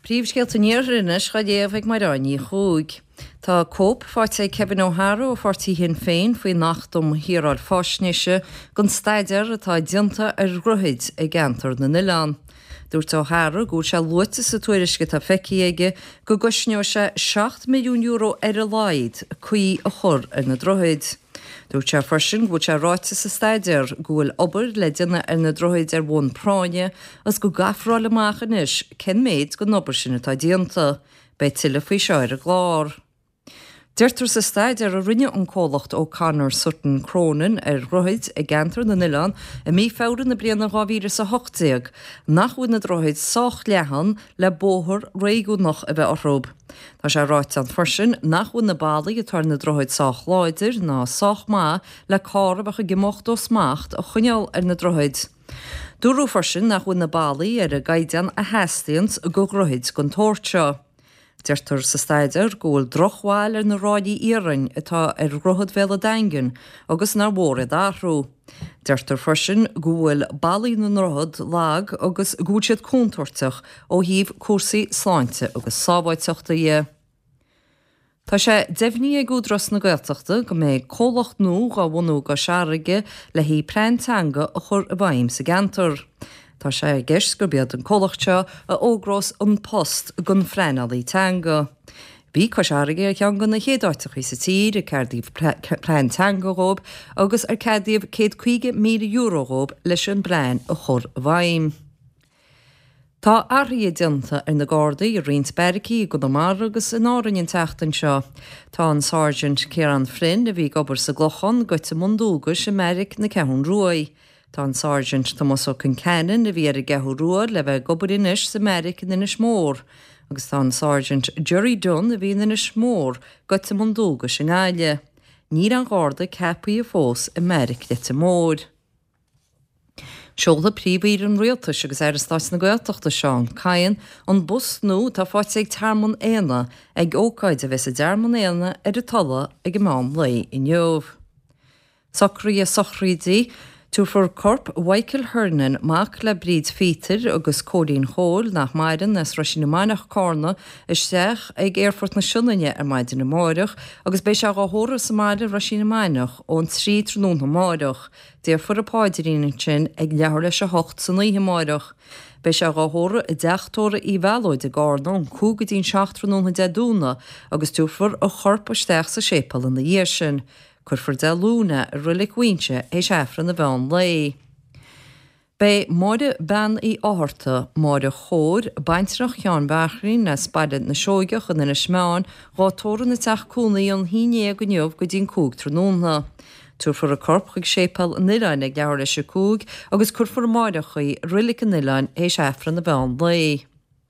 Príomhscéalta an Iarthair anois dhá léamh ag Mairéad Ní Chuaig. Tá cóip faighte ag Kevin O'Hara ó pháirtí Shinn Féin faoin Acht um Shaoráil Faisnéise den staidéar atá déanta ar dhroichid i gceantar na n-oileán. Dúirt O'Hara go bhfuil sé luaite sa tuairisc atá feicthe aige go gcosnóidh sé €7 milliún ar a laghad caoi a chur ar na droichid. Dúirt sé freisin go bhfuil sé ráite sa staidéar go bhfuil obair le déanamh ar na droichid ar bhonn práinne agus go gcaithfear a fháil amach anois cén méid den obair sin atá déanta. Beidh tuilleadh faoi seo ar an gclár. Deirtear sa staidéar a rinne an comhlacht O'Connor Sutton Cronin ar dhroichid i gceantar na n-oileán i mí Feabhra na bliana 2018 nach bhfuil na droichid sách leathan le bóthar réigiúnach a bheith orthu. Tá sé ráite ann freisin nach bhfuil na ballaí atá ar na droichid sách láidir ná sách maith le carr a bheadh ag imeacht ó smacht a choinneáil ar na droichid. Dúradh freisin nach bhfuil na ballaí ar an gcaighdeán a theastaíonns do dhroichid den tsórt seo. Deirtear sa staidéar go bhfuil drochbhail ar na ráillí iarainn atá ar Dhroichead Bhéal an Daingin agus nár mhór iad a athrú. Deirtear freisin go bhfuil ballaí na ndroichead lag agus go bhfuil siad contúirteach ó thaobh cúrsaí sláinte agus sábháilteachta dhe. Tá sé deimhnithe ag Údarás na Gaeltachta go mbeidh comhlacht nua dhá bhunú i gCois Fharraige le haghaidh plean teanga a chur i bhfeidhm sa gceantar. Tá sé i gceist gurb iad an comhlacht seo a fhógrós an post don phleanálaí teanga. Bhí Cois Fharraige ar cheann de na chéad áiteachaí sa tír ar ceadaíodh plean teanga dhóibh agus ar ceadaíodh €150,000 dhóibh leis an bplean a chur i bhfeidhm. Tá athruithe déanta ar na Gardaí i roinnt beairicí i gConamara agus in Árainn an tseachtain seo. Tá an Sáirsint Ciarán Flynn, a bhí ag obair sa gClochán, gaibhte i mbun dualgais i mbeairic na Ceathrún Ruaidh. Tá an Sáirsint Tomás Ó Conceanainn, a bhí ar an gCeathrú Rua, le bheith ag obair anois sa mbeairic in Inis Mór. Agus tá an Sáirsint Gerry Dunne, a bhí in Inis Mór, gaibhte i mbun dualgais i nGaillimh. Níl aon Gharda ceapaithe fós i mbeairic Leitir Móir. Seolfaidh Príomh-Aoire an Rialtais agus Aire Stáit na Gaeltachta Seán Kyne an bus nua atá faighte ag Tearmann Éanna ag ócáid a bheas i dTearmann Éanna ar an Tulaigh ag an meán lae inniu. Socruithe sochraide Tabharfar corp Mhichael Hernon, mac le Bríd Phíotair agus Cóilín Chóil, nach maireann, as Roisín na Mainiach, Cárna, isteach ag Aerfort na Sionainne ar maidin amáireach agus beidh sé dhá thórramh sa mbaile i Roisín na Mainiach ón 3 tráthnóna amáireach. Déarfar an paidrín ansin ag leathuair leis a hocht san oíche amáireach. Beidh sé dhá thórramh i dteach tórraimh Uí Mhealóid i gCárna ón 5 go dtí'n 7 tráthnóna Dé Domhnaigh agus tabharfar a chorp isteach sa séipéal ina dhiaidh sin. Cuirfear Dé Luain é i Roilic Mhaínse théis Aifreann an mheán lae. Beidh Máire Bean Uí Fhátharta, Máire Chóir, baintreach Sheáin Bhearthlín as Baile na Seoigeach in Inis Meáin, dhá tórramh ina teach cónaí ón haon dhéag inniu go dtí'n 5 tráthnóna. Tabharfar a corp chuig Séipéal an Oileáin ag leathuair leis a 5 agus cuirfear amáireach í i Roilic an Oileáin théis Aifreann an mheán lae.